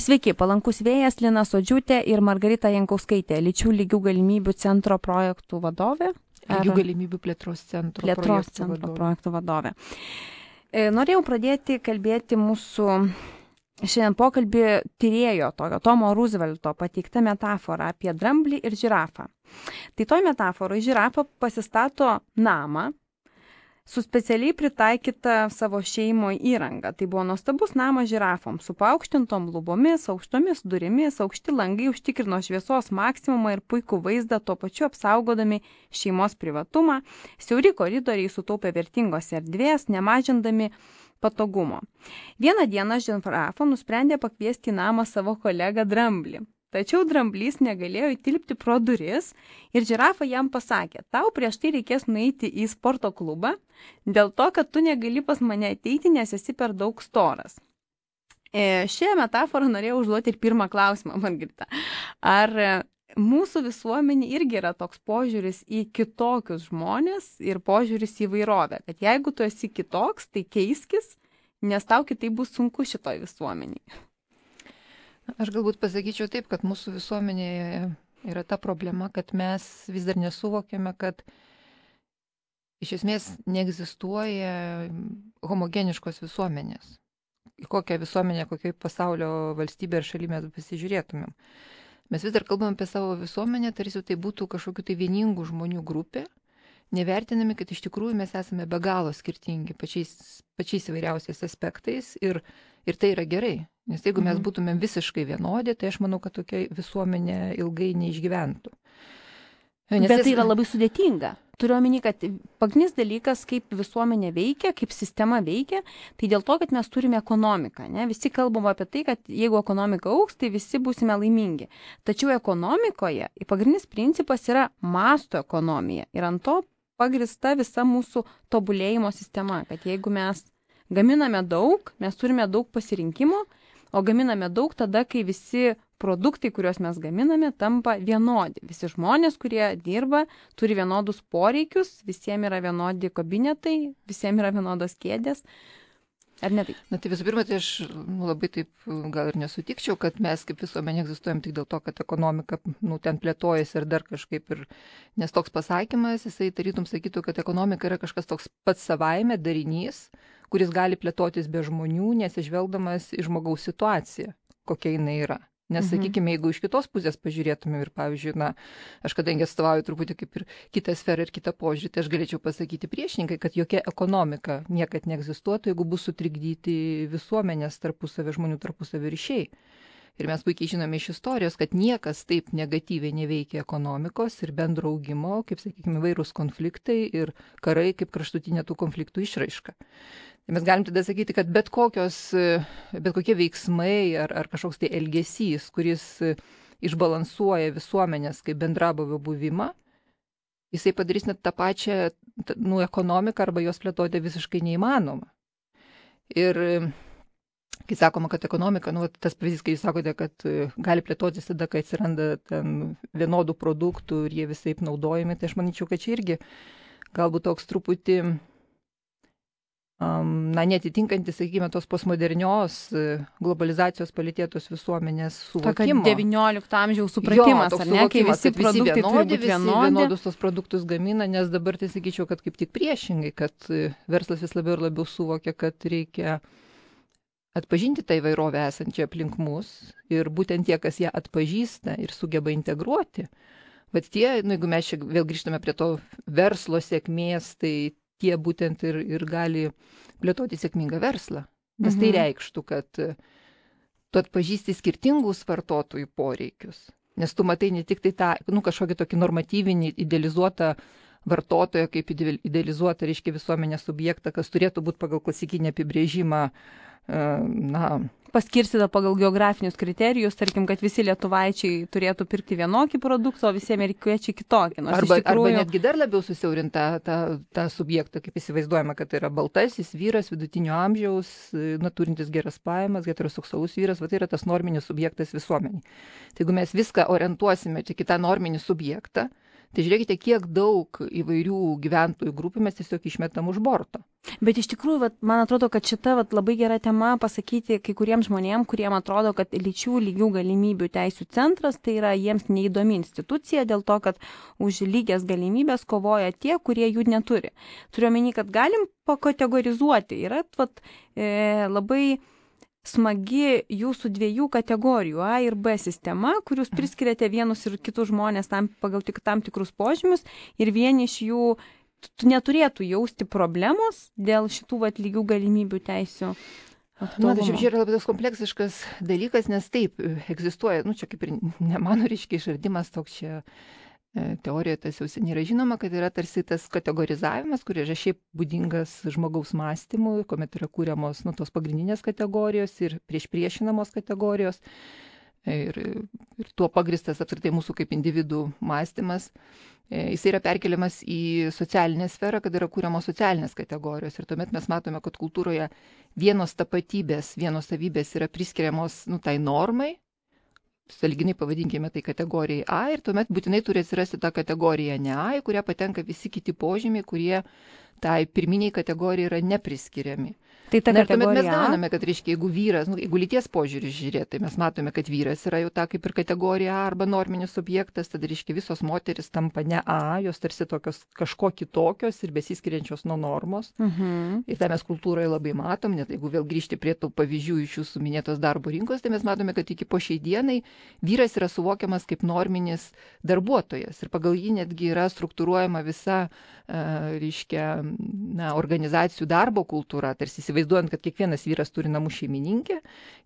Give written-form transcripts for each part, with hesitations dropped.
Sveiki, palankus vėjas, Lina Sodžiūtė ir Margarita Jankauskaitė, lyčių lygių galimybių centro projektų vadovė. Lygių galimybių plėtros centro projektų vadovė. Norėjau pradėti kalbėti mūsų šiandien pokalbį tyrėjo Tomo Roosevelto pateiktą metaforą apie dramblį ir žirafą. Tai toj metaforoj žirafa pasistato namą su specialiai pritaikyta savo šeimoje įranga. Tai buvo nuostabus namas žirafoms su paaukštintom lubomis, aukštomis durimis, aukšti langai užtikrino šviesos maksimumą ir puikų vaizdą, tuo pačiu apsaugodami šeimos privatumą. Siauri koridoriai sutaupė vertingos erdvės, nemažindami patogumo. Vieną dieną žirafa nusprendė pakviesti į namą savo kolegą dramblį. Tačiau dramblys negalėjo įtilpti pro duris ir žirafa jam pasakė, tau prieš tai reikės nueiti į sporto klubą, dėl to, kad tu negali pas mane ateiti, nes esi per daug storas. Šią metaforą norėjau užduoti ir pirmą klausimą, Margarita. Ar mūsų visuomenė irgi yra toks požiūris į kitokius žmonės ir požiūris į įvairovę, kad jeigu tu esi kitoks, tai keiskis, nes tau kitaip bus sunku šitoj visuomeniai? Aš galbūt pasakyčiau taip, kad mūsų visuomenėje yra ta problema, kad mes vis dar nesuvokėme, kad iš esmės neegzistuoja homogeniškos visuomenės. Į kokią visuomenę, kokią pasaulio valstybę ir šalį mes pasižiūrėtumėm. Mes vis dar kalbam apie savo visuomenę, tarsi tai būtų kažkokių tai vieningų žmonių grupė, nevertinami, kad iš tikrųjų mes esame be galo skirtingi pačiais įvairiausiais aspektais ir tai yra gerai. Nes jeigu mes būtumėm visiškai vienodi, tai aš manau, kad tokia visuomenė ilgai neišgyventų. Bet tai yra labai sudėtinga. Turiu omeny, kad pagrindinis dalykas, kaip visuomenė veikia, kaip sistema veikia, tai dėl to, kad mes turime ekonomiką. Ne? Visi kalbam apie tai, kad jeigu ekonomika augs, tai visi būsime laimingi. Tačiau ekonomikoje pagrindinis principas yra masto ekonomija. Ir ant to pagrįsta visa mūsų tobulėjimo sistema, kad jeigu mes gaminame daug, mes turime daug pasirinkimo, o gaminame daug tada, kai visi produktai, kuriuos mes gaminame, tampa vienodi. Visi žmonės, kurie dirba, turi vienodus poreikius, visiems yra vienodi kabinetai, visiems yra vienodos kėdės. Ar ne taip? Na tai visų pirma, tai aš labai taip gal ir nesutikčiau, kad mes kaip visuomenė egzistuojam tik dėl to, kad ekonomika ten plėtojasi ir dar kažkaip. Nes toks pasakymas, jisai tarytum sakytų, kad ekonomika yra kažkas toks pats savaime darinys, kuris gali plėtotis be žmonių, nesižvelgdamas į žmogaus situaciją, kokia jinai yra. Nes, sakykime, jeigu iš kitos pusės pažiūrėtume ir, pavyzdžiui, aš kadangi atstovauju truputį kaip ir kitą sferą ir kitą požiūrį, tai aš galėčiau pasakyti priešininkai, kad jokia ekonomika niekad neegzistuotų, jeigu bus sutrikdyti visuomenės tarpusavio žmonių tarpusavio ryšiai. Ir mes puikiai žinome iš istorijos, kad niekas taip negatyviai neveikia ekonomikos ir bendro augimo, kaip, sakykime, vairūs konfliktai ir karai kaip kraštutinė tų konfliktų išraiška. Tai mes galim tada sakyti, kad bet kokie veiksmai ar kažkoks tai elgesys, kuris išbalansuoja visuomenės kaip bendrabuvio buvimą, jisai padarys net tą pačią ekonomiką arba jos plėtoti visiškai neįmanoma. Ir kai sakoma, kad ekonomika, tas pavyzdys, kai jūs sakote, kad gali plėtotis tada, kai atsiranda ten vienodų produktų ir jie visaip naudojami, tai aš manyčiau, kad čia irgi galbūt toks truputį netitinkantis, sakykime, tos postmodernios globalizacijos palėtėtos visuomenės suvokimo. Tokio 19 amžiaus supratimas, ar ne, kai visi produktai turi būti vienodi. Vienodus tos produktus gamina, nes dabar tai sakyčiau, kad kaip tik priešingai, kad verslas vis labiau ir labiau suvokia, kad reikia atpažinti tą įvairovę esančią aplink mus ir būtent tie, kas ją atpažįsta ir sugeba integruoti. Bet tie, jeigu mes čia vėl grįžtame prie to verslo sėkmės, tai tie būtent ir gali plėtoti sėkmingą verslą. Nes tai reikštų, kad tu atpažįsti skirtingus vartotojų poreikius. Nes tu matai ne tik tai tą kažkokį tokį normatyvinį, idealizuotą vartotoją, kaip idealizuotą, reiškia, visuomenės subjektą, kas turėtų būti pagal klasikinį apibrėžimą, paskirstyta pagal geografinius kriterijus, tarkim, kad visi lietuvaičiai turėtų pirkti vienokį produktą, o visi amerikiečiai kitokį. Arba netgi dar labiau susiaurinta tą subjektą, kaip įsivaizduojama, kad tai yra baltasis vyras, vidutinio amžiaus, turintis geras pajamas, heteroseksualus vyras, tai yra tas norminis subjektas visuomeniai. Tai jeigu mes viską orientuosime tik į tą norminį subjektą, Tai žiūrėkite, kiek daug įvairių gyventojų grupių mes tiesiog išmetam už borto. Bet iš tikrųjų, man atrodo, kad šita labai gera tema pasakyti kai kuriems žmonėms, kuriem atrodo, kad lyčių lygių galimybių teisų centras tai yra jiems neįdomi institucija dėl to, kad už lygias galimybės kovoja tie, kurie jų neturi. Turiu omeny, kad galim pakategorizuoti. Yra labai smagi jūsų dviejų kategorijų A ir B sistema, kur jūs priskiriate vienus ir kitus žmonės pagal tam tikrus požymius ir vieni iš jų neturėtų jausti problemos dėl šitų lygių galimybių teisių. Na, tai šiaip yra labai tas kompleksiškas dalykas, nes taip egzistuoja, čia kaip ir ne mano reiškia išradimas toks čia. Teorijoje tas jau seniai yra žinoma, kad yra tarsi tas kategorizavimas, kuris yra šiaip būdingas žmogaus mąstymui, kuomet yra kūriamos tos pagrindinės kategorijos ir priešinamos kategorijos. Ir tuo pagristas apskritai mūsų kaip individų mąstymas. Jis yra perkeliamas į socialinę sferą, kad yra kūriamos socialinės kategorijos. Ir tuomet mes matome, kad kultūroje vienos tapatybės, vienos savybės yra priskiriamos tai normai, sąlyginai pavadinkime tai kategorijai A, ir tuomet būtinai turi atsirasti ta kategorija ne A, į kurią patenka visi kiti požymiai, kurie tai pirminiai kategorijai yra nepriskiriami. Tai ta Na, ir tuomet mes kategorija gauname, kad reiškia, jeigu vyras, jeigu lyties požiūrį žiūrėti, tai mes matome, kad vyras yra jau ta kaip ir kategorija A arba norminis objektas, tada reiškia visos moteris tampa ne A, jos tarsi tokios kažko kitokios ir besiskiriančios nuo normos. Ir tai mes kultūroje labai matom, net jeigu vėl grįžti prie tų pavyzdžių iš jūsų minėtos darbo rinkos, tai mes matome, kad iki po šiai dienai vyras yra suvokiamas kaip norminis darbuotojas ir pagal jį netgi yra struktūruojama visa, reiškia, organizacijų darbo kultūra, tarsi įsivaizduojant, kad kiekvienas vyras turi namų šeimininkę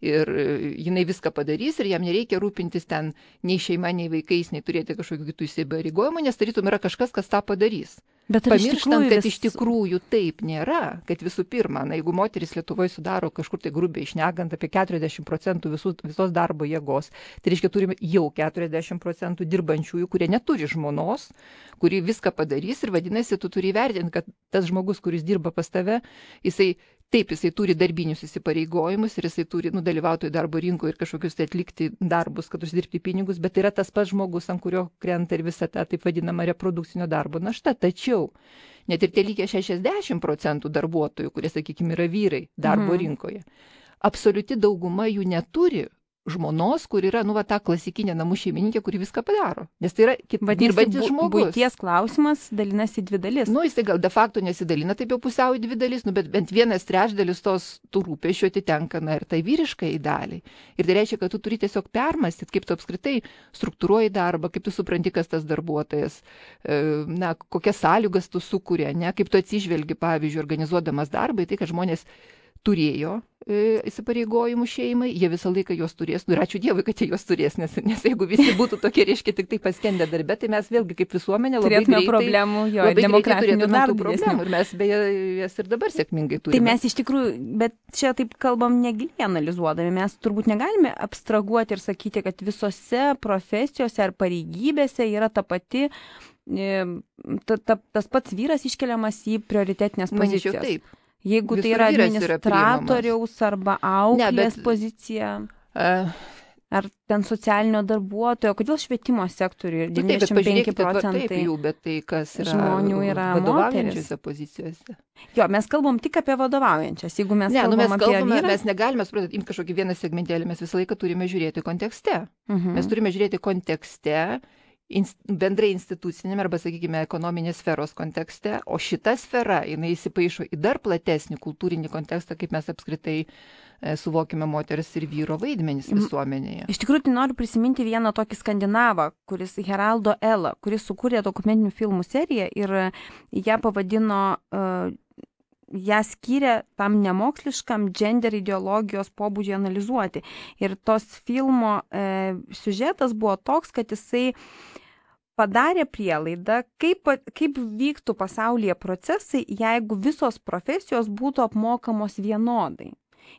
ir jinai viską padarys ir jam nereikia rūpintis ten nei šeima, nei vaikais, nei turėti kažkokių kitų įsipareigojimų, nes tarytum yra kažkas, kas tą padarys. Bet pamirštant, kad iš tikrųjų taip nėra, kad visų pirma, jeigu moteris Lietuvoje sudaro kažkur tai grubiai šnekant apie 40% visos darbo jėgos, tai reiškia turime jau 40% dirbančiųjų, kurie neturi žmonos, kuri viską padarys ir vadinasi, tu turi įvertinti, kad tas žmogus, kuris dirba pas tave, jisai turi darbinius įsipareigojimus ir jisai turi dalyvauti darbo rinkoje ir kažkokius tai atlikti darbus, kad uždirbti pinigus, bet yra tas pats žmogus, ant kurio krenta ir visa ta taip vadinama reprodukcinio darbo našta. Tačiau net ir tie likę 60% darbuotojų, kurie, sakykime, yra vyrai darbo rinkoje, absoliuti dauguma jų neturi žmonos, kur yra, ta klasikinė namų šeimininkė, kuri viską padaro. Nes tai yra dirbantis žmogus. Buities klausimas dalinasi į dvi dalis. Jisai gal de facto nesidalina taip jau pusiau į dvi dalis, bet bent 1/3 tų rūpesčių atitenka, ir tai vyriškai daliai. Ir tai reiškia, kad tu turi tiesiog permastyti, kaip tu apskritai struktūruoji darbą, kaip tu supranti, kas tas darbuotojas, kokias sąlygas tu sukūrė, kaip tu atsižvelgi, pavyzdžiui, organizuodamas darbą, tai kad žmonės turėjo įsipareigojimų šeimai, jie visą laiką juos turės, ir ačiū Dievui, kad jie juos turės, nes jeigu visi būtų tokie, reiškia, tik tai paskendę darbe, tai mes vėlgi kaip visuomenė labai greitai problemų, demokratinių turėtume problemų ir mes beje jas ir dabar sėkmingai turime. Tai mes iš tikrųjų, bet čia taip kalbam negiliai analizuodami, mes turbūt negalime abstraguoti ir sakyti, kad visose profesijose ar pareigybėse yra ta pati, tas pats vyras iškeliamas į prioritetinės pozicijas. Manyčiau, taip. Jeigu tai yra administratoriaus arba auklės pozicija, ar ten socialinio darbuotojo, kodėl švietimo sektoriuje 95% bet tai kas yra žmonių yra vadovaujančiose pozicijose? Jo, mes kalbam tik apie vadovaujančias. Jeigu mes kalbam apie vyrą, mes negalime imti kažkokį vieną segmentėlį, mes visą laiką turime žiūrėti kontekste. Mes turime žiūrėti kontekste, bendrai institucinėme arba, sakykime, ekonominės sferos kontekste, o šita sfera, jinai įsipaišo į dar platesnį kultūrinį kontekstą, kaip mes apskritai suvokime moters ir vyro vaidmenis visuomenėje. Iš tikrųjų, tai noriu prisiminti vieną tokį skandinavą, kuris Heraldo Ela, kuris sukūrė dokumentinių filmų seriją ir ją pavadino, ją skyrė tam nemoksliškam gender ideologijos pobūdžiui analizuoti. Ir tos filmo siužetas buvo toks, kad jisai padarė prielaidą, kaip vyktų pasaulyje procesai, jeigu visos profesijos būtų apmokamos vienodai.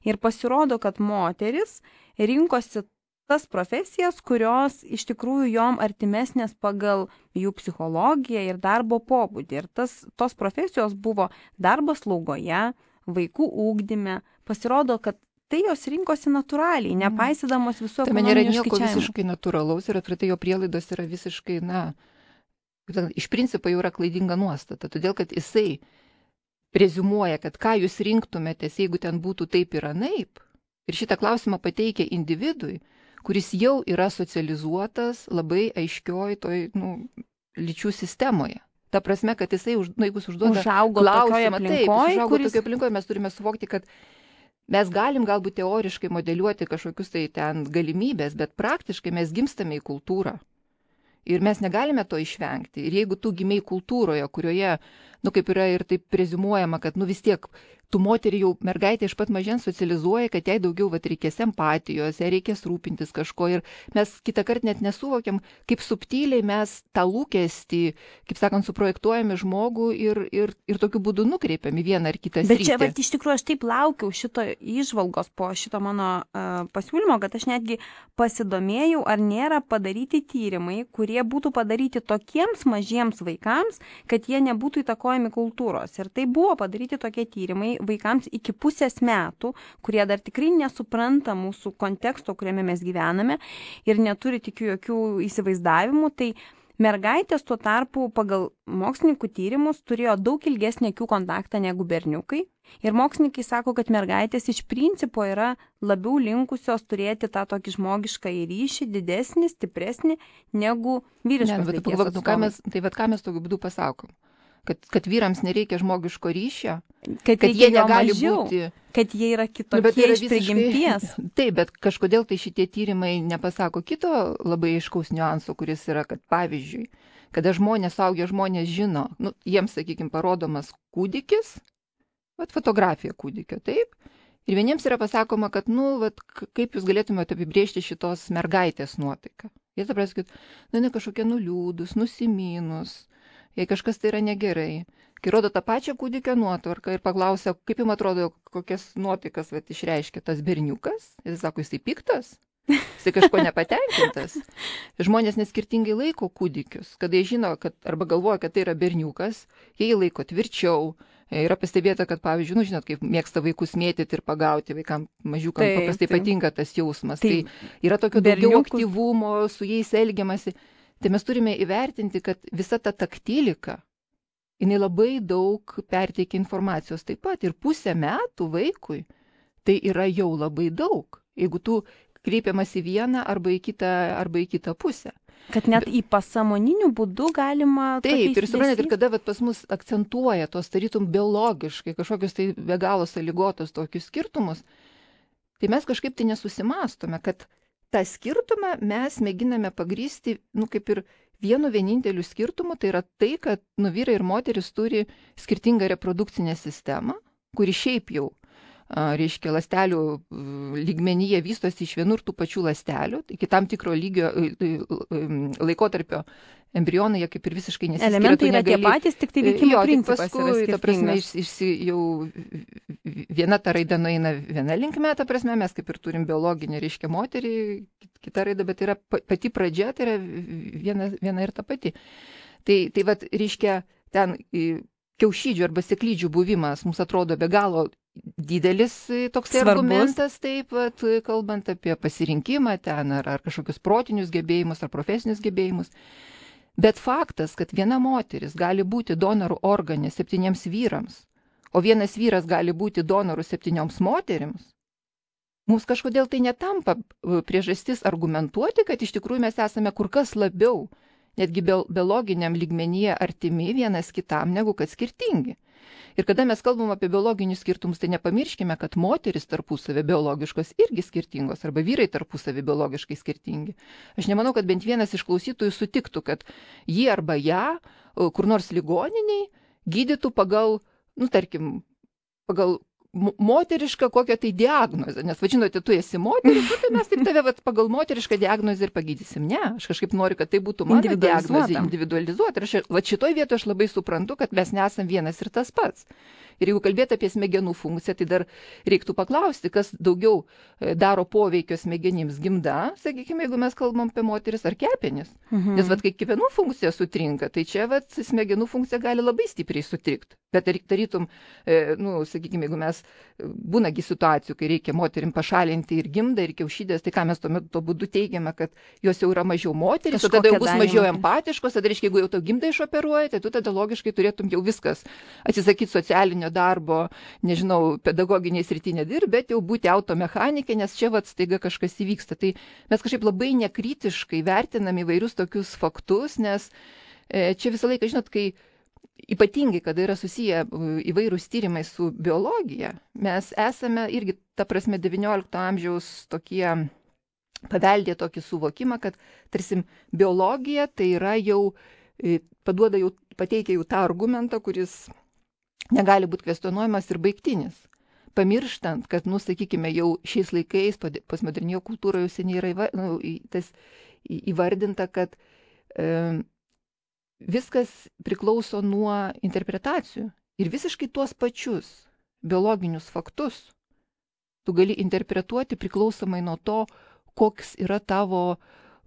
Ir pasirodo, kad moteris rinkosi tas profesijas, kurios iš tikrųjų jom artimesnės pagal jų psichologiją ir darbo pobūdį. Ir tos profesijos buvo darbas slaugoje, vaikų ugdyme. Pasirodo, kad tai jos rinkosi natūraliai, nepaisydamos visų ekonominių skaičiavimų. Tai nėra nieko visiškai natūralaus ir apskritai jo prielaidos yra visiškai, iš principo jau yra klaidinga nuostata, todėl kad jisai preziumuoja, kad ką jūs rinktumėtės, jeigu ten būtų taip ir anaip. Ir šitą klausimą pateikia individui, kuris jau yra socializuotas labai aiškioj toj lyčių sistemoje. Ta prasme, kad jisai, jeigu užduoda klausimą, tokioje aplinkoje, mes turime suvokti, kad mes galim galbūt teoriškai modeliuoti kažkokius tai ten galimybės, bet praktiškai mes gimstame į kultūrą. Ir mes negalime to išvengti. Ir jeigu tu gimei kultūroje, kurioje, kaip yra ir taip preziumuojama, kad vis tiek tu moterį jau mergaitė iš pat mažens socializuoja, kad jai daugiau reikės empatijos, jai reikės rūpintis kažko. Ir mes kitą kartą net nesuvokiam, kaip subtiliai mes tą lūkestį, kaip sakant, suprojektuojame žmogų ir tokiu būdu nukreipiam į vieną ar kitą sritį. Bet čia, iš tikrųjų, aš taip laukiau šito įžvalgos po šito mano pasiūlymo, kad aš netgi pasidomėjau, ar nėra padaryti tyrimai, kurie būtų padaryti tokiems mažiems vaikams, kad jie nebūtų įtakojami kultūros. Ir tai buvo padaryti tokie tyrimai vaikams iki 0,5 metų, kurie dar tikrai nesupranta mūsų konteksto, kuriame mes gyvename ir neturi tikiu jokių įsivaizdavimų. Tai mergaitės tuo tarpu pagal mokslininkų tyrimus turėjo daug ilgesnį akių kontaktą negu berniukai. Ir mokslininkai sako, kad mergaitės iš principo yra labiau linkusios turėti tą tokį žmogišką ryšį, didesnį, stipresnį negu vyriškos lyties atstovai. Ką mes tokiu būdu pasakom? Kad vyrams nereikia žmogiško ryšio, kad jie negali būti, kad jie yra kitokie iš prigimties. Taip, bet kažkodėl tai šitie tyrimai nepasako kito labai aiškaus niuanso, kuris yra, kad pavyzdžiui, kada suaugę žmonės žino, jiems, sakykime, parodomas kūdikis, fotografija kūdikio, taip, ir vieniems yra pasakoma, kad, kaip jūs galėtumėte apibrėžti šitos mergaitės nuotaiką. Jie suprastų, kad, kažkokie nuliūdus, nusiminus, jei kažkas tai yra negerai. Kai rodo tą pačią kūdikio nuotvarką ir paklausia, kaip jums atrodo, kokias nuotaikas išreiškia tas berniukas, jis sako, jisai piktas, jisai kažko nepatenkintas. Žmonės neskirtingai laiko kūdikius, kada jie žino, arba galvoja, kad tai yra berniukas, jie jį laiko tvirčiau. Yra pastebėta, kad, pavyzdžiui, žinot, kaip mėgsta vaikus mėtyti ir pagauti, vaikams mažiukam paprastai patinka tas jausmas. Tai yra tokio daugiau aktyvumo, su jais elgiamasi. Tai mes turime įvertinti, kad visa ta taktilika, jinai labai daug perteikia informacijos taip pat. Ir 0,5 metų vaikui tai yra jau labai daug, jeigu tu kreipiamas į vieną arba į kitą pusę. Kad net į pasąmoninių būdų galima... Taip, ir suprantate, ir kada pas mus akcentuoja tos tarytum biologiškai kažkokius tai be galo sąlygotos tokius skirtumus, tai mes kažkaip tai nesusimastome, kad tą skirtumą mes mėginame pagrįsti, kaip ir vienu vieninteliu skirtumu, tai yra tai, kad vyrai ir moteris turi skirtingą reprodukcinę sistemą, kuri šiaip jau, reiškia, ląstelių lygmenyje vystosi iš vienų ir tų pačių ląstelių, iki tam tikro lygio laikotarpio embrionai, jie kaip ir visiškai nesiskiria. Elementai yra tie patys, tik tai veikimo principas yra skirtingas. Ta prasme, jau viena ta raida nueina viena linkme, ta prasme, mes kaip ir turim biologinį, reiškia, moterį, kita raida, bet yra pati pradžia, tai yra viena ir ta pati. Tai reiškia, ten kiaušidžių arba sėklidžių buvimas mums atrodo be galo didelis toks argumentas, taip pat kalbant apie pasirinkimą ten, ar kažkokius protinius gebėjimus, ar profesinius gebėjimus. Bet faktas, kad viena moteris gali būti donorų organė 7 vyrams, o vienas vyras gali būti donorų 7 moterims, mums kažkodėl tai netampa priežastis argumentuoti, kad iš tikrųjų mes esame kur kas labiau, netgi biologiniam lygmenyje artimi vienas kitam, negu kad skirtingi. Ir kada mes kalbam apie biologinius skirtumus, tai nepamirškime, kad moteris tarpusavį biologiškos irgi skirtingos, arba vyrai tarpusavį biologiškai skirtingi. Aš nemanau, kad bent vienas iš klausytojų sutiktų, kad jį arba ją kur nors ligoniniai gydytų pagal, tarkim, pagal moterišką kokią tai diagnozę. Nes, žinote, tu esi moteris, tai mes taip tave pagal moterišką diagnozę ir pagydysim. Ne, aš kažkaip noriu, kad tai būtų mano diagnozė individualizuota. Ir šitoj vietoje aš labai suprantu, kad mes nesam vienas ir tas pats. Ir jeigu kalbėti apie smegenų funkciją, tai dar reiktų paklausti, kas daugiau daro poveikio smegenims, gimda, sakykime, jeigu mes kalbam apie moteris, ar kepenis. Nes kai kepenų funkcija sutrinka, tai čia smegenų funkcija gali labai stipriai sutrikti. Bet tarytum, sakykime, jeigu mes būnagi situacijų, kai reikia moterim pašalinti ir gimdą, ir kiaušidės, tai ką mes tuo būdu teigiame, kad jos jau yra mažiau moteris, o tada jau bus mažiau empatiškos, tada reiškia, jeigu jau tau gimdą išoperuoja, tai tu tada logiškai turėtum jau viskas atsisakyti socialinio darbo, nežinau, pedagoginiai srity nedirb, bet jau būti automechanikė, nes čia staiga kažkas įvyksta. Tai mes kažkaip labai nekritiškai vertinam įvairius tokius faktus, nes čia visą laiką, žinot, kai ypatingai, kada yra susiję įvairūs tyrimai su biologija, mes esame irgi, ta prasme, XIX amžiaus tokie paveldė tokį suvokimą, kad, tarsi, biologija tai yra jau, pateikia jau tą argumentą, kuris negali būti kvestionuojamas ir baigtinis. Pamirštant, kad, sakykime, jau šiais laikais, postmodernioje kultūroje jau seniai yra įvardinta, kad viskas priklauso nuo interpretacijų. Ir visiškai tuos pačius biologinius faktus tu gali interpretuoti priklausomai nuo to, koks yra tavo,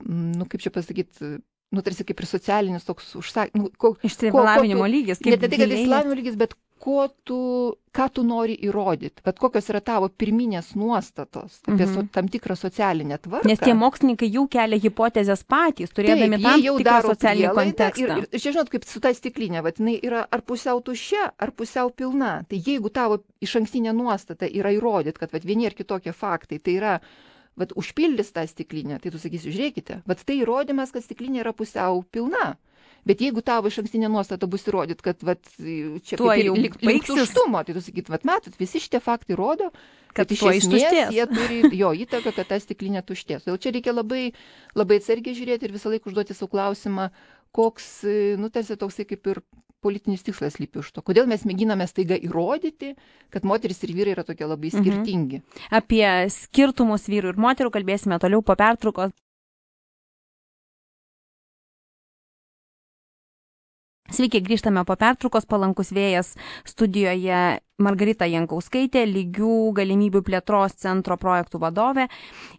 kaip čia pasakyti, tarsi kaip ir socialinis toks išsilavinimo lygis. Ne tai, kad išsilavinimo lygis, bet ką tu nori įrodyti, kokios yra tavo pirminės nuostatos apie tam tikrą socialinę tvarką. Nes tie mokslininkai jau kelia hipotezės patys, turėdami tam tikrą socialinį kontekstą. Ir čia, žinot, kaip su ta stiklinė, jinai yra ar pusiau tuščia, ar pusiau pilna. Tai jeigu tavo išankstinė nuostata yra įrodyti, kad vieni ar kitokie faktai, tai yra užpildys tą stiklinę, tai tu sakysi, žiūrėkite, tai įrodymas, kad stiklinė yra pusiau pilna. Bet jeigu tavo išankstinė nuostata bus įrodyti, kad čia link tuštumo, tai tu sakyt, matot, visi šitie faktai rodo, kad iš esmės jie turi įtaką, kad ta stiklinė tuštės. Todėl čia reikia labai, labai atsargiai žiūrėti ir visą laiką užduoti savo klausimą, koks, tarsi toksai kaip ir politinis tikslas slypi už to. Kodėl mes mėginame staiga įrodyti, kad moteris ir vyrai yra tokie labai skirtingi. Apie skirtumus vyrų ir moterų kalbėsime toliau po pertraukos. Sveiki, grįžtame po pertraukos, palankus vėjas studijoje Margarita Jankauskaitė, lygių galimybių plėtros centro projektų vadovė.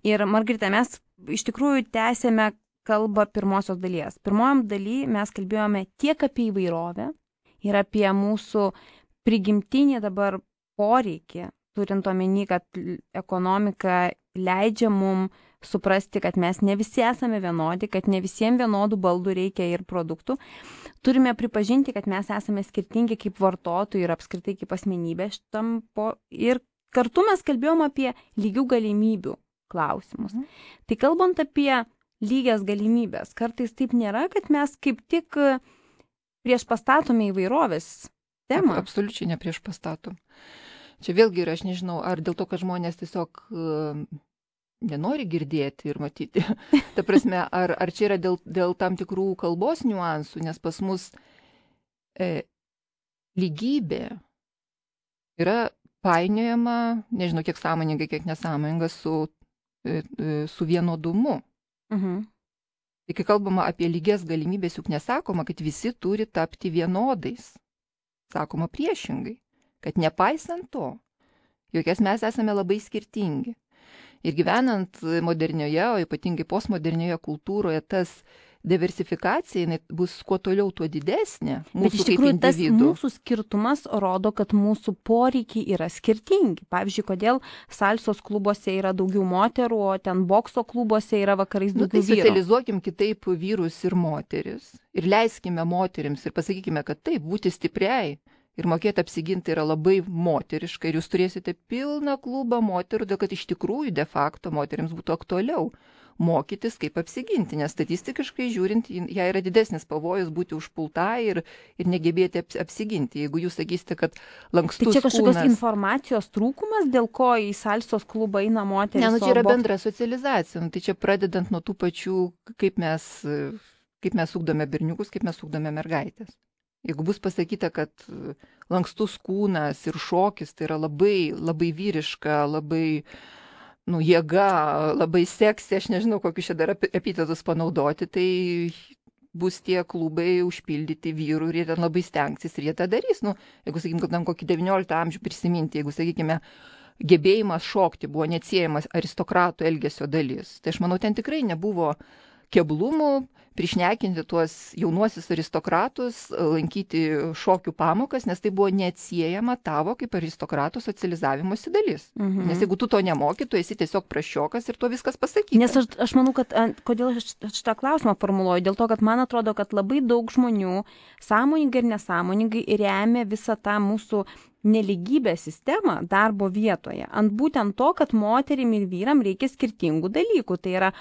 Ir Margarita, mes iš tikrųjų tęsėme kalbą pirmosios dalies. Pirmojom daly mes kalbėjome tiek apie įvairovę ir apie mūsų prigimtinį dabar poreikį, turint omeny, kad ekonomika leidžia mum suprasti, kad mes ne visi esame vienodi, kad ne visiems vienodų baldų reikia ir produktų. Turime pripažinti, kad mes esame skirtingi kaip vartotojai ir apskritai kaip asmenybė ir kartu mes kalbėjom apie lygių galimybių klausimus. Tai kalbant apie lygias galimybės, kartais taip nėra, kad mes kaip tik prieš pastatome įvairovės temą. Absoliučiai ne prieš pastatom. Čia vėlgi yra, aš nežinau, ar dėl to, kad žmonės tiesiog nenori girdėti ir matyti. Ta prasme, ar čia yra dėl tam tikrų kalbos niuansų, nes pas mus lygybė yra painiojama, nežinau, kiek sąmoningai, kiek nesąmoninga su vienodumu. Tai kai kalbama apie lygias galimybės, juk nesakoma, kad visi turi tapti vienodais. Sakoma priešingai, kad nepaisant to, jokies mes esame labai skirtingi. Ir gyvenant modernioje, o ypatingai postmodernioje kultūroje, tas diversifikacija bus kuo toliau, tuo didesnė. Bet iš tikrųjų tas mūsų skirtumas rodo, kad mūsų poreikiai yra skirtingi. Pavyzdžiui, kodėl salsos klubuose yra daugiau moterų, o ten bokso klubuose yra vakarais daugiau vyrų. Tai socializuokim kitaip vyrus ir moteris ir leiskime moterims ir pasakykime, kad taip, būti stipriai ir mokėti apsiginti yra labai moteriška ir jūs turėsite pilną klubą moterų, dėl kad iš tikrųjų de facto moterims būtų aktualiau mokytis, kaip apsiginti, nes statistiškai žiūrint, jai yra didesnis pavojus būti užpulta ir negebėti apsiginti. Jeigu jūs sakysite, kad lankstus kūnas... Tai čia kažkokios informacijos trūkumas, dėl ko į salsos klubą eina moteris? Ne, čia yra bendra socializacija. Tai čia pradedant nuo tų pačių, kaip mes ugdome berniukus, kaip mes ugdome mergaitės. Jeigu bus pasakyta, kad lankstus kūnas ir šokis tai yra labai, labai vyriška, labai jėga, labai seksi, aš nežinau, kokius čia dar epitetus panaudoti, tai bus tie klubai užpildyti vyrų ir jie ten labai stengsis ir jie tą darys. Nu, jeigu, sakykime, tam kokį 19 amžių prisiminti, jeigu, sakykime, gebėjimas šokti buvo neatsiejamas aristokratų elgesio dalis, tai aš manau, ten tikrai nebuvo keblumų prišnekinti tuos jaunuosius aristokratus, lankyti šokių pamokas, nes tai buvo neatsiejama tavo kaip aristokratų socializavimosi dalis. Nes jeigu tu to nemoki, tu esi tiesiog praščiokas ir tuo viskas pasakyta. Nes aš manau, kad kodėl aš šitą klausimą formuluoju, dėl to, kad man atrodo, kad labai daug žmonių sąmoningai ir nesąmoningai remia visą tą mūsų neligybės sistemą darbo vietoje. Ant būtent to, kad moterim ir vyram reikia skirtingų dalykų. Tai yra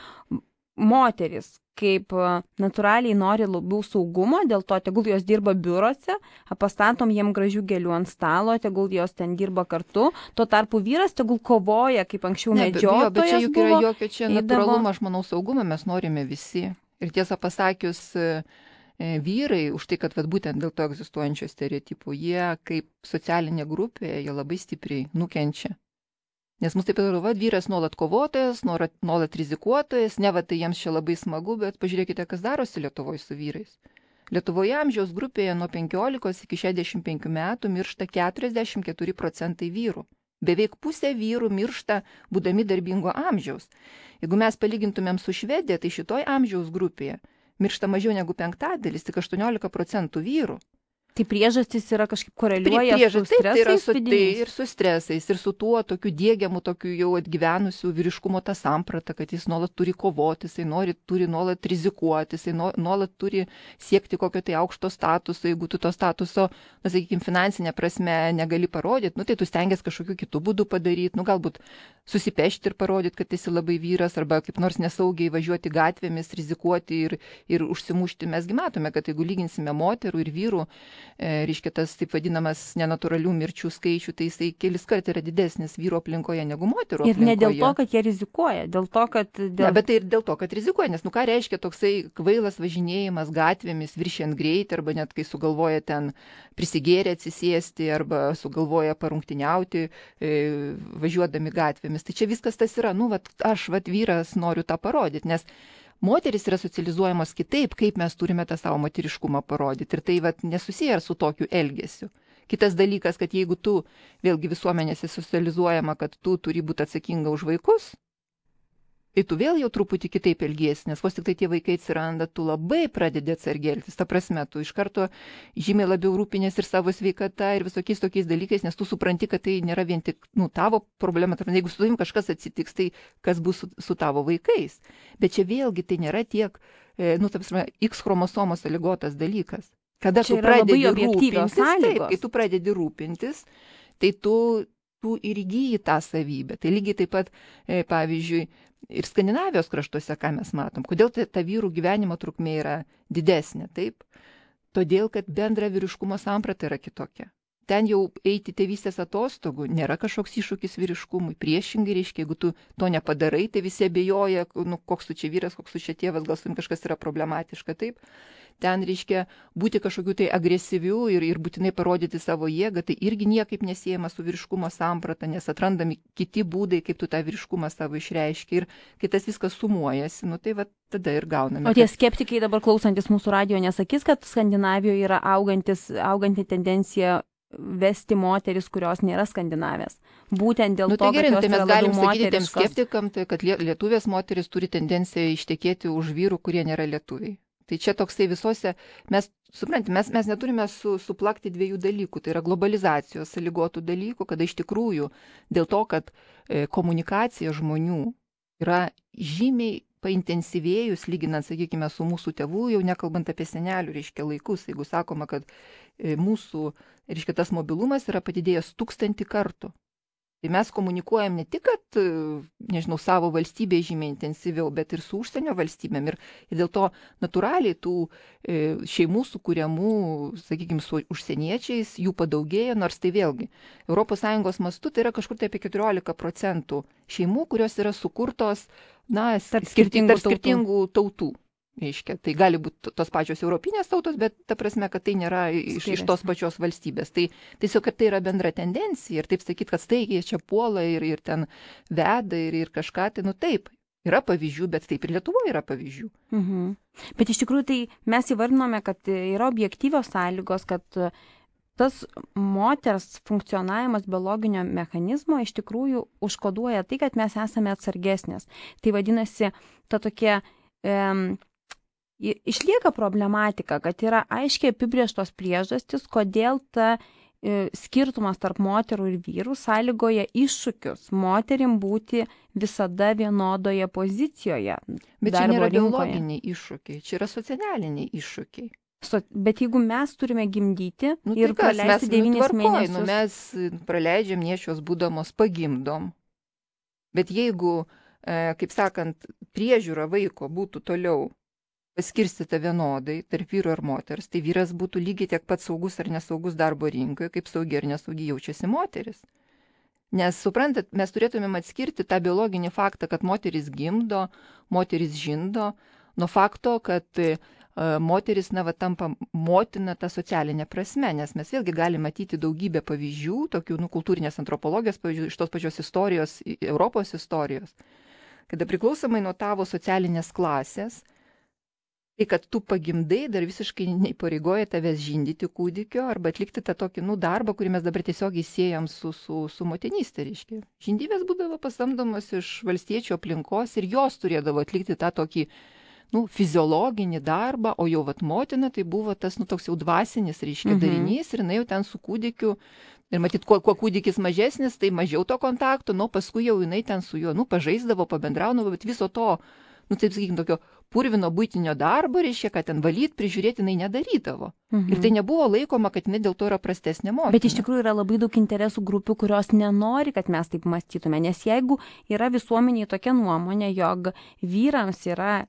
moteris kaip natūraliai nori labiau saugumo, dėl to tegul jos dirba biurose, pastatom jiem gražių gėlių ant stalo, tegul jos ten dirba kartu, tuo tarpu vyras tegul kovoja, kaip anksčiau medžiotojas. Bet čia juk yra jokio čia natūralumo, aš manau, saugumą mes norime visi. Ir tiesą pasakius, vyrai, už tai, kad būtent dėl to egzistuojančio stereotipų, jie kaip socialinė grupė, jie labai stipriai nukenčia. Nes mus taip ir vyras nuolat kovotojas, nuolat rizikuotojas, ne va tai jiems čia labai smagu, bet pažiūrėkite, kas darosi Lietuvoje su vyrais. Lietuvoje amžiaus grupėje nuo 15 iki 65 metų miršta 44% vyrų. Beveik pusė vyrų miršta būdami darbingo amžiaus. Jeigu mes palygintumėm su Švedija, tai šitoj amžiaus grupėje miršta mažiau negu 1/5, tik 18% vyrų. Tai priežastys yra kažkaip koreliuoja su stresais vidiniais. Ir su stresais, ir su tuo tokiu diegiamu, tokiu jau atgyvenusiu vyriškumo tą sampratą, kad jis nuolat turi kovoti, jisai turi nuolat rizikuoti, jisai nuolat turi siekti kokio tai aukšto statuso. Jeigu tu to statuso, na, sakykime, finansinė prasme negali parodyti, nu, tai tu stengiasi kažkokiu kitų būdų padaryti, nu, galbūt susipešti ir parodyti, kad esi labai vyras, arba kaip nors nesaugiai važiuoti gatvėmis, rizikuoti ir užsimušti. Mesgi matome, kad jeigu lyginsime moterų ir vyrų, reiškia tas taip vadinamas nenatūralių mirčių skaičių, tai jisai kelis kart yra didesnis vyro aplinkoje negu moterų aplinkoje. Ir ne dėl to, kad jie rizikuoja, dėl to, kad... Ne, bet tai ir dėl to, kad rizikuoja, nes nu ką reiškia toksai kvailas važinėjimas gatvėmis, viršijant greitį, arba net kai sugalvoja ten prisigėrę atsisėsti, arba sugalvoja parungtiniauti važiuodami gatvėmis. Tai čia viskas tas yra, nu, aš vyras noriu tą parodyti, nes moteris yra socializuojamos kitaip, kaip mes turime tą savo moteriškumą parodyti. Ir tai nesusiję su tokiu elgesiu. Kitas dalykas, kad jeigu tu vėlgi visuomenėse socializuojama, kad tu turi būti atsakinga už vaikus, tai tu vėl jau truputį kitaip elgiesi, nes vos tik tai tie vaikai atsiranda, tu labai pradedi atsargiai elgtis. Ta prasme, tu iš karto žymiai labiau rūpinės ir savo sveikata ir visokiais tokiais dalykais, nes tu supranti, kad tai nėra vien tik tavo problema. Jeigu su tavim kažkas atsitiks, tai kas bus su tavo vaikais. Bet čia vėlgi tai nėra tiek, ta prasme, X chromosomos sąlygotas dalykas. Kada tu pradedi rūpintis, taip, kai tu pradedi rūpintis, tai tu ir įgyji tą savybę. Tai lygiai taip pat, pavyzdžiui, ir Skandinavijos kraštuose, ką mes matom. Kodėl ta vyrų gyvenimo trukmė yra didesnė, taip? Todėl, kad bendra vyriškumo samprata yra kitokia. Ten jau eiti tėvystės atostogų nėra kažkoks iššūkis vyriškumui. Priešingai reiškia, jeigu tu to nepadarai, tai visi abejoja, koks tu čia vyras, koks tu čia tėvas, gal su jum kažkas yra problematiška, taip? Ten reiškia būti kažkokiu tai agresyviu ir būtinai parodyti savo jėgą, tai irgi niekaip nesiejama su vyriškumo samprata, nes atrandami kiti būdai, kaip tu tą vyriškumą savo išreiški. Ir kai tas viskas sumuojasi, tai tada ir gauname. O tie skeptikai dabar klausantis mūsų radijo nesakys, kad Skandinavijoje yra auganti tendencija vesti moteris, kurios nėra skandinavės. Būtent dėl to, gerai, kad jos mes yra galim labiau sakyti tiem moteriškos. skeptikam, kad lietuvės moteris turi tendenciją ištekėti už vyrų, kurie nėra lietuviai. Tai čia toksai visose, mes neturime suplakti dviejų dalykų, tai yra globalizacijos sąlygotų dalykų, kada iš tikrųjų dėl to, kad komunikacija žmonių yra žymiai paintensyvėjus, lyginant, sakykime, su mūsų tėvų, jau nekalbant apie senelių, reiškia, laikus, jeigu sakoma, kad mūsų, reiškia, tas mobilumas yra padidėjęs 1000 kartų. Tai mes komunikuojam ne tik, kad, savo valstybėje žymiai intensyviau, bet ir su užsienio valstybėm. Ir dėl to natūraliai tų šeimų sukūriamų, sakykime, su užsieniečiais, jų padaugėja, nors tai vėlgi ES mastu tai yra kažkur tai apie 14% šeimų, kurios yra sukurtos, skirtingų tautų. Reiškia, tai gali būti tos pačios europinės tautos, bet ta prasme, kad tai nėra iš tos pačios valstybės. Tai tiesiog, kad tai yra bendra tendencija ir taip sakyti, kad staigiai čia puola ir ten veda ir kažką, tai taip. Yra pavyzdžių, bet taip ir Lietuvoje yra pavyzdžių. Bet iš tikrųjų tai mes įvardinome, kad yra objektyvios sąlygos, kad tas moters funkcionavimas biologinio mechanizmo iš tikrųjų užkoduoja tai, kad mes esame atsargesnės. Tai vadinasi, ta tokia išlieka problematika, kad yra aiškiai apibrėžtos priežastys, kodėl ta skirtumas tarp moterų ir vyrų sąlygoja iššūkius moterim būti visada vienodoje pozicijoje. Bet čia nėra biologiniai iššūkiai, čia yra socialiniai iššūkiai. Bet jeigu mes turime gimdyti ir praleisti 9 mėnesius. Mes praleidžiam nėščios būdamos pagimdom. Bet jeigu, kaip sakant, priežiūra vaiko būtų toliau paskirstyta vienodai tarp vyro ir moters, tai vyras būtų lygiai tiek pat saugus ar nesaugus darbo rinkoje, kaip saugiai ar nesaugiai jaučiasi moteris. Nes, suprantat, mes turėtumėm atskirti tą biologinį faktą, kad moteris gimdo, moteris žindo, nuo fakto, kad moteris, tampa motina tą socialinę prasme, nes mes vėlgi galime matyti daugybę pavyzdžių, tokių kultūrinės antropologijos pavyzdžių, iš tos pačios istorijos, Europos istorijos, kada priklausomai nuo tavo socialinės klasės, tai, kad tu pagimdai, dar visiškai neįpareigoja tavęs žindyti kūdikio arba atlikti tą tokį darbą, kurį mes dabar tiesiog įsiejam su motinystė, reiškia. Žindyvės būdavo pasamdomos iš valstiečių aplinkos ir jos turėdavo atlikti tą tokį fiziologinį darbą, o jau motina tai buvo tas toks jau dvasinis, reiškia, darinys ir jinai jau ten su kūdikiu. Ir matyt, kuo kūdikis mažesnis, tai mažiau to kontakto, paskui jau jinai ten su juo, pažaisdavo, pabendraudavo, bet viso to, taip sakykime, tokio purvino buitinio darbo, reiškia, kad ten valyti, prižiūrėti jinai nedarydavo. Ir tai nebuvo laikoma, kad jinai dėl to yra prastesnė motina. Bet iš tikrųjų yra labai daug interesų grupių, kurios nenori, kad mes taip mąstytume, nes jeigu yra visuomeniai tokia nuomonė, jog vyrams yra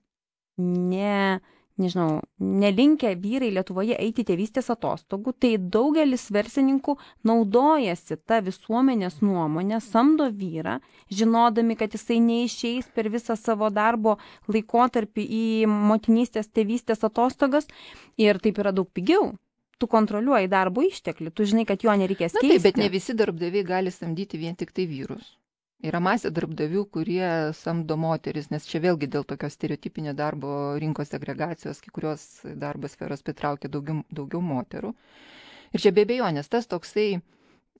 nelinkę vyrai Lietuvoje eiti tėvystės atostogų, tai daugelis verslininkų naudojasi tą visuomenės nuomonę, samdo vyrą, žinodami, kad jisai neišeis per visą savo darbo laikotarpį į motinystės tėvystės atostogas ir taip yra daug pigiau. Tu kontroliuoji darbo išteklį, tu žinai, kad jo nereikės keisti. Taip, bet ne visi darbdaviai gali samdyti vien tik tai vyrus. Yra masė darbdavių, kurie samdo moteris, nes čia vėlgi dėl tokios stereotipinio darbo rinkos segregacijos, kai kurios darbo sferos pritraukia daugiau moterų. Ir čia be abejonės, tas toksai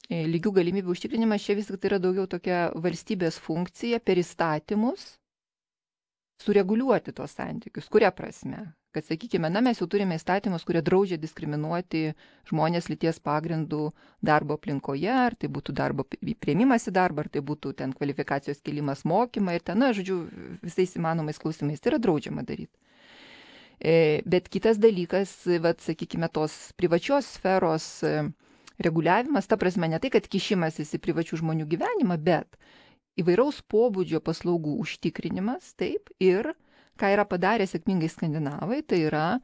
lygių galimybių užtikrinimas, čia vis tik tai yra daugiau tokia valstybės funkcija per įstatymus sureguliuoti tos santykius. Kuria prasme? Kad, sakykime, mes jau turime įstatymus, kurie draudžia diskriminuoti žmonės lyties pagrindų darbo aplinkoje, ar tai būtų darbo priėmimas į darbą, ar tai būtų ten kvalifikacijos kėlimas mokymą ir ten, visais įmanomais klausimais. Tai yra draudžiama daryti. Bet kitas dalykas, sakykime, tos privačios sferos reguliavimas, ta prasme ne tai, kad kišimasis į privačių žmonių gyvenimą, bet įvairaus pobūdžio paslaugų užtikrinimas, taip, ir ką yra padarę sėkmingai skandinavai, tai yra,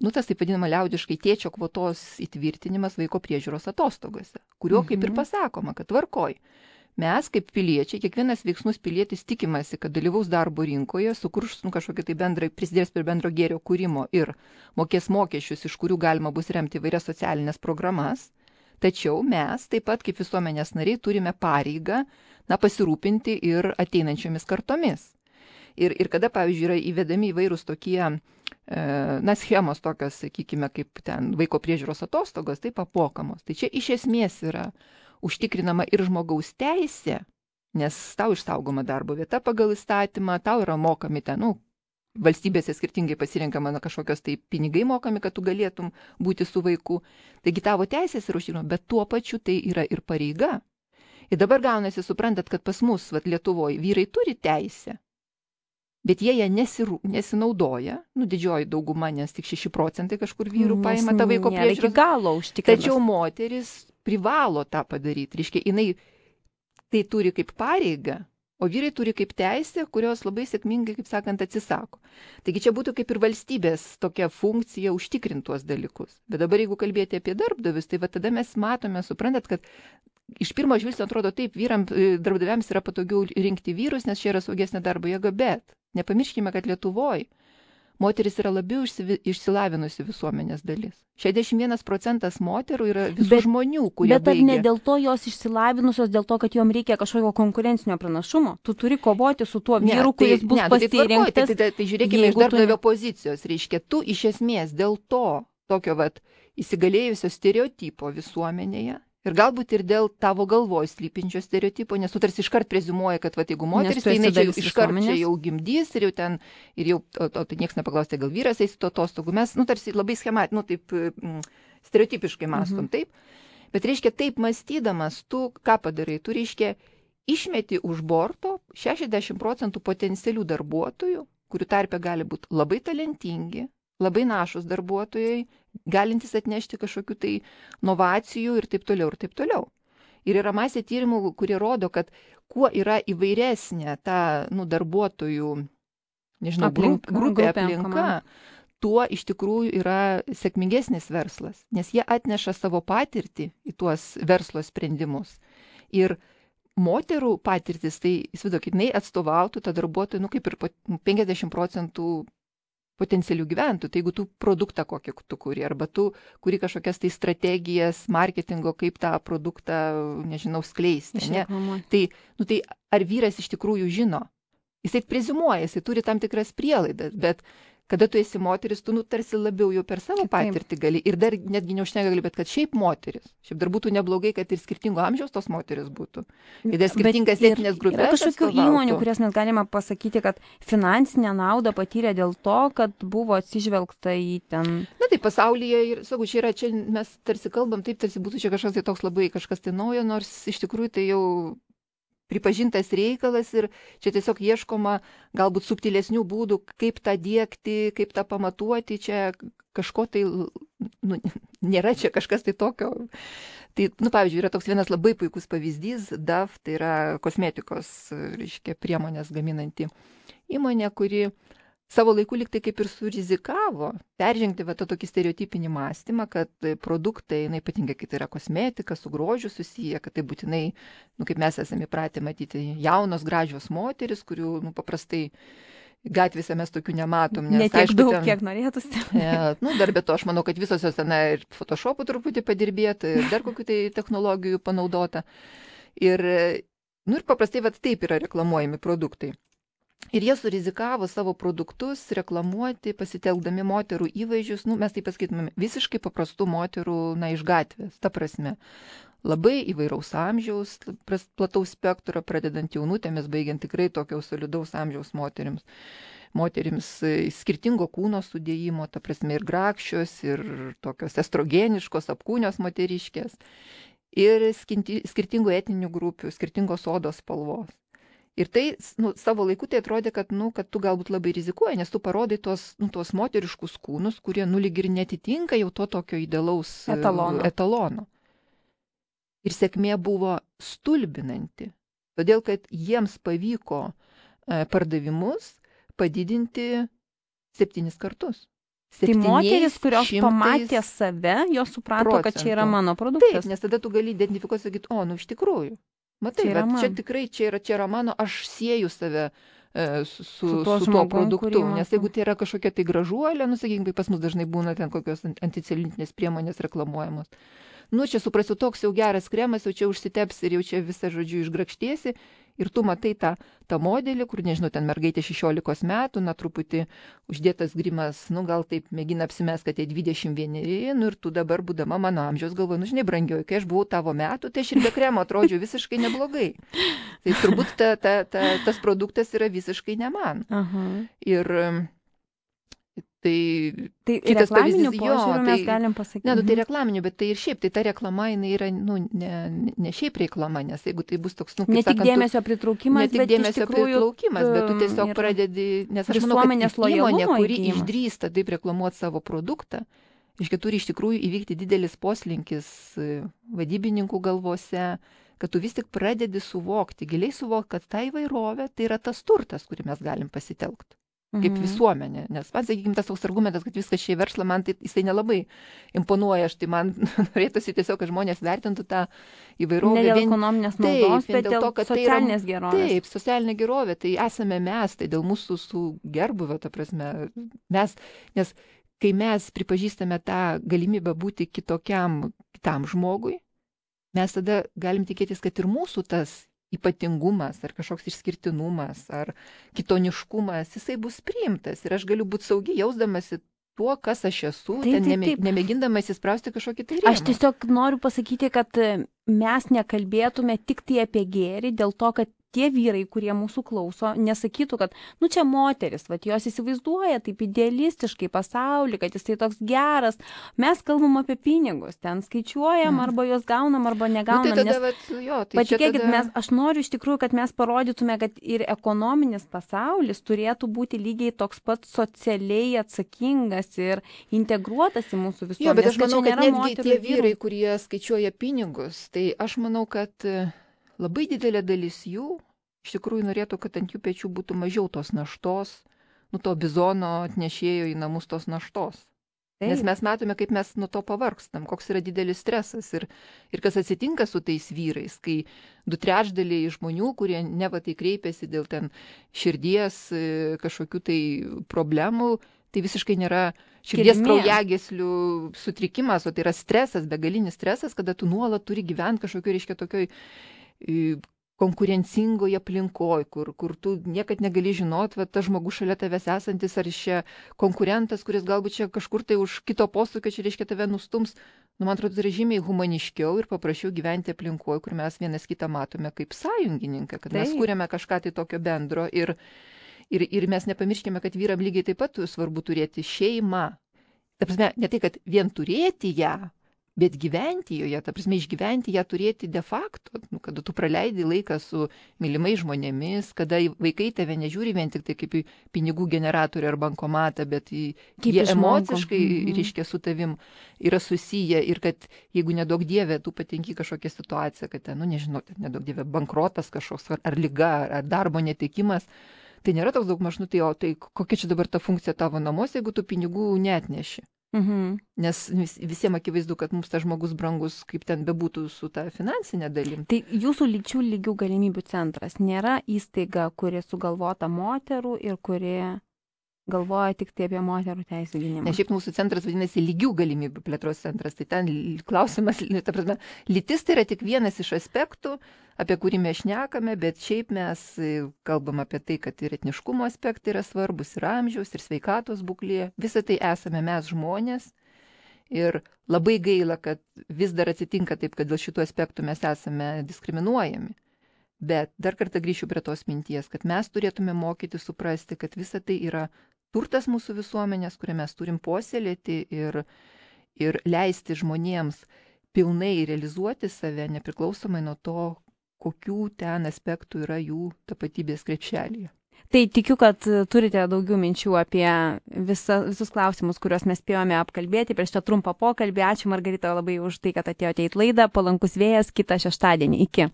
tas taip vadinama liaudiškai tėčio kvotos įtvirtinimas vaiko priežiūros atostogose, kurio kaip ir pasakoma, kad tvarkoj. Mes kaip piliečiai, kiekvienas veiksnus pilietis tikimasi, kad dalyvaus darbo rinkoje, sukurs kažkokį tai bendrai, prisidės prie bendro gėrio kūrimo ir mokės mokesčius, iš kurių galima bus remti įvairias socialinės programas. Tačiau mes taip pat kaip visuomenės nariai turime pareigą pasirūpinti ir ateinančiomis kartomis. Ir kada, pavyzdžiui, yra įvedami įvairūs tokie, schemos tokios, sakykime, kaip ten vaiko priežiūros atostogos, taip apmokamos. Tai čia iš esmės yra užtikrinama ir žmogaus teisė, nes tau išsaugoma darbo vieta pagal įstatymą, tau yra mokami ten, valstybėse skirtingai pasirenkama kažkokios tai pinigai mokami, kad tu galėtum būti su vaiku. Taigi tavo teisės yra užtikrinama, bet tuo pačiu tai yra ir pareiga. Ir dabar gaunasi, suprantat, kad pas mus, Lietuvoje, vyrai turi teisę. Bet jie ją nesinaudoja, didžioji dauguma, nes tik 6% kažkur vyrų paima tą vaiko priežiūros. Tačiau moteris privalo tą padaryti. Reiškia, jinai tai turi kaip pareigą, o vyrai turi kaip teisę, kurios labai sėkmingai, kaip sakant, atsisako. Taigi čia būtų kaip ir valstybės tokia funkcija užtikrinti tuos dalykus. Bet dabar jeigu kalbėti apie darbdavius, tai tada mes matome, suprantat, kad iš pirmo žvilgsnio atrodo taip, darbdaviams yra patogiau rinkti vyrus, nes čia yra saugesnė darbo jėga, bet nepamirškime, kad Lietuvoje moteris yra labiau išsilavinusi visuomenės dalis. 61% moterų yra visų žmonių, kurie bet ar ne dėl to jos išsilavinusios, dėl to, kad jom reikia kažkokio konkurencinio pranašumo? Tu turi kovoti su tuo vyru, kuris bus pasirinktas. Tai žiūrėkime iš darbdavio pozicijos. Reiškia, tu iš esmės dėl to tokio įsigalėjusio stereotipo visuomenėje ir galbūt ir dėl tavo galvoj slypinčio stereotipo, nes tu tarsi iškart preziumuoji, kad jeigu moteris, tai jinai iškart čia jau gimdys ir jau tai niekas nepaklaus, tai gal vyras eis to atostogų. Mes, tarsi labai taip stereotipiškai mąstom, taip. Bet reiškia, taip mąstydamas, tu ką padarai? Tu reiškia, išmeti už borto 60% potencialių darbuotojų, kurių tarpe gali būti labai talentingi, labai našus darbuotojai, galintys atnešti kažkokių tai inovacijų ir taip toliau, ir taip toliau. Ir yra masė tyrimų, kurie rodo, kad kuo yra įvairesnė ta darbuotojų, nežinau, grupė aplinka, tuo iš tikrųjų yra sėkmingesnis verslas, nes jie atneša savo patirtį į tuos verslo sprendimus. Ir moterų patirtis, tai įsivaizduokit, jinai atstovautų tą darbuotojų, kaip ir 50% potencialių gyventojų. Tai jeigu tu produktą kokį tu kuri, arba tu kuri kažkokias tai strategijas marketingo, kaip tą produktą, nežinau, skleisti. Ne? Tai ar vyras iš tikrųjų žino? Jisai preziumuoja, jisai turi tam tikras prielaidas, bet kada tu esi moteris, tu tarsi labiau jau per savo patirtį gali. Ir dar netgi neužtenka gali, bet kad šiaip moteris. Šiaip dar būtų neblogai, kad ir skirtingo amžiaus tos moteris būtų. Ir dar skirtingas etinės grupės. Yra kažkokių įmonių, kurias mes galime pasakyti, kad finansinę naudą patyrė dėl to, kad buvo atsižvelgta į ten. Na tai pasaulyje, ir sakau, čia mes tarsi kalbam, taip tarsi būtų čia kažkas tai toks labai kažkas tai naujo, nors iš tikrųjų tai jau pripažintas reikalas ir čia tiesiog ieškoma galbūt subtilesnių būdų, kaip tą diegti, kaip tą pamatuoti, čia kažko tai, nėra čia kažkas tai tokio. Tai, pavyzdžiui, yra toks vienas labai puikus pavyzdys, DAF, tai yra kosmetikos, reiškia, priemonės gaminanti įmonė, kuri savo laiku lyg tai kaip ir surizikavo peržengti tą tokį stereotipinį mąstymą, kad produktai, ypatingai kai tai yra kosmetika, su grožiu susiję, kad tai būtinai, kaip mes esame įpratę matyti, jaunos, gražios moteris, kurių paprastai gatvėse mes tokių nematom. Ne tiek aišku, daug, kiek norėtųsi. Dar be to, aš manau, kad visos jos ten ir Photoshop'u truputį padirbėta, ir dar kokių tai technologijų panaudota. Ir paprastai taip yra reklamuojami produktai. Ir jie surizikavo savo produktus reklamuoti, pasitelkdami moterų įvaizdžius, mes taip pasakytumėm, visiškai paprastų moterų, iš gatvės, ta prasme. Labai įvairaus amžiaus, plataus spektro, pradedant jaunutėmis, baigiant tikrai tokio solidaus amžiaus moterims. Moterims skirtingo kūno sudėjimo, ta prasme, ir grakščios, ir tokios estrogeniškos, apkūnios moteriškės, ir skirtingų etninių grupių, skirtingos odos spalvos. Ir tai savo laiku tai atrodė, kad tu galbūt labai rizikuoji, nes tu parodai tuos moteriškus kūnus, kurie lyg ir netitinka jau to tokio idealaus etalono. Ir sėkmė buvo stulbinanti, todėl kad jiems pavyko pardavimus padidinti 7 kartus. Tai moteris, kurios pamatė save, jos suprato, kad čia yra mano produktas. Taip, nes tada tu gali identifikuoti, sakyti, iš tikrųjų. Matai, čia tikrai, čia yra mano, aš sieju save su tuo produktu, nes jeigu tai yra kažkokia tai gražuolė, sakykime, pas mus dažnai būna ten kokios anticeliulitinės priemonės reklamuojamos. Čia suprasiu, toks jau geras kremas, jau čia užsiteps ir jau čia visą, žodžiu, išgrakštiesi. Ir tu matai tą modelį, kur, nežinau, ten mergaitė 16 metų, truputį uždėtas grimas, gal taip mėgina apsimest, kad tai 21, ir tu dabar, būdama mano amžiaus, galvoji, žinai, brangioji, kai aš buvau tavo metų, tai aš ir be kremo atrodžiau visiškai neblogai. Tai turbūt tas produktas yra visiškai ne man. Ir tai reklaminių požiūrių mes galim pasakyti. Tai reklaminių, bet tai ir šiaip, tai ta reklama, jinai yra, ne šiaip reklama, nes jeigu tai bus toks, ne tik dėmesio pritraukimas, bet iš tikrųjų, bet tu tiesiog pradedi, nes aš manau, kad įmonė, kuri išdrįsta taip reklamuoti savo produktą, turi iš tikrųjų įvykti didelis poslinkis vadybininkų galvose, kad tu vis tik pradedi suvokti, giliai suvokti, kad ta įvairovė tai yra tas turtas, kurį mes galim pasitelkti. kaip visuomenė. Nes man, sakykime, tas toks argumentas, kad viskas čia į verslą, man tai jisai nelabai imponuoja. Tai man norėtųsi tiesiog, kad žmonės vertintų tą įvairovę. Ne dėl ekonominės naudos, bet dėl to, kad socialinės gerovės. Taip, socialinė gerovė, tai esame mes, tai dėl mūsų su gerbuvio, ta prasme, mes, nes kai mes pripažįstame tą galimybę būti kitam žmogui, mes tada galim tikėtis, kad ir mūsų tas ypatingumas, ar kažkoks išskirtinumas, ar kitoniškumas, jisai bus priimtas. Ir aš galiu būti saugi, jausdamasi tuo, kas aš esu, nemėgindamas įsprausti kažkokį tai rėmą. Aš tiesiog noriu pasakyti, kad mes nekalbėtume tik tai apie gėrį, dėl to, kad tie vyrai, kurie mūsų klauso, nesakytų, kad, čia moteris, jos įsivaizduoja taip idealistiškai pasaulį, kad jisai toks geras. Mes kalbam apie pinigus, ten skaičiuojam, arba juos gaunam, arba negaunam. Tai tada, patikėkit, aš noriu iš tikrųjų, kad mes parodytume, kad ir ekonominis pasaulis turėtų būti lygiai toks pat socialiai atsakingas ir integruotas į mūsų visuomenę. Jo, bet aš manau, kad netgi tie vyrai, kurie skaičiuoja pinigus, tai aš manau, kad labai didelė dalis jų iš tikrųjų norėtų, kad ant jų pečių būtų mažiau tos naštos, to bizono atnešėjo į namus tos naštos. Taip. Nes mes matome, kaip mes nuo to pavargstam, koks yra didelis stresas ir kas atsitinka su tais vyrais, kai 2/3 žmonių, kurie neva tai kreipiasi dėl ten širdies kažkokių tai problemų, tai visiškai nėra širdies kraujagyslių sutrikimas, o tai yra stresas, begalinis stresas, kada tu nuolat turi gyventi kažkokiu, reiškia, tokioj konkurencingoje aplinkoje, kur tu niekad negali žinot, tas žmogus šalia tavęs esantis, ar čia konkurentas, kuris galbūt čia kažkur tai už kito posūkio, čia reiškia tave nustums. Man atrodo, tai yra žymiai humaniškiau ir paprasčiau gyventi aplinkoje, kur mes vienas kitą matome kaip sąjungininką, kad mes kūrėme kažką tai tokio bendro ir mes nepamirškime, kad vyram lygiai taip pat svarbu turėti šeimą. Ta prasme, ne tai, kad vien turėti ją, bet gyventi joje, ta prasme, išgyventi ją turėti de facto, kada tu praleidi laiką su mylimais žmonėmis, kada vaikai tave nežiūri vien tik tai kaip į pinigų generatorių ar bankomatą, bet jie emociškai, reiškia, su tavim yra susiję ir kad jeigu nedaug dievė, tu patenki kažkokią situaciją, kad ten, nežinau, nedaug dievė, bankrotas kažkoks ar liga, ar darbo netekimas, tai nėra toks daug mažnų, tai kokia čia dabar ta funkcija tavo namuose, jeigu tu pinigų neatneši. Nes visiems akivaizdu, kad mums tas žmogus brangus, kaip ten bebūtų su ta finansinė dalim. Tai jūsų lyčių lygių galimybių centras nėra įstaiga, kuri sugalvota moterų ir kuri galvoja tik tai apie moterų teisų gynimą. Nes šiaip mūsų centras vadinasi lygių galimybių plėtros centras. Tai ten klausimas, ta prasme, lytis tai yra tik vienas iš aspektų, apie kurį mes šnekame, bet šiaip mes kalbam apie tai, kad ir etniškumo aspektai yra svarbus, ir amžiaus, ir sveikatos būklė. Visą tai esame mes žmonės. Ir labai gaila, kad vis dar atsitinka taip, kad dėl šitų aspektų mes esame diskriminuojami. Bet dar kartą grįšiu prie tos minties, kad mes turėtume mokyti suprasti, kad visa tai yra turtas mūsų visuomenės, kurią mes turim puoselėti ir leisti žmonėms pilnai realizuoti save, nepriklausomai nuo to, kokių ten aspektų yra jų tapatybės krepšelyje. Tai tikiu, kad turite daugiau minčių apie visus klausimus, kuriuos mes spėjome apkalbėti prieš šitą trumpą pokalbį. Ačiū, Margarita, labai už tai, kad atėjote į laidą. Palankus vėjas kitą šeštadienį. Iki.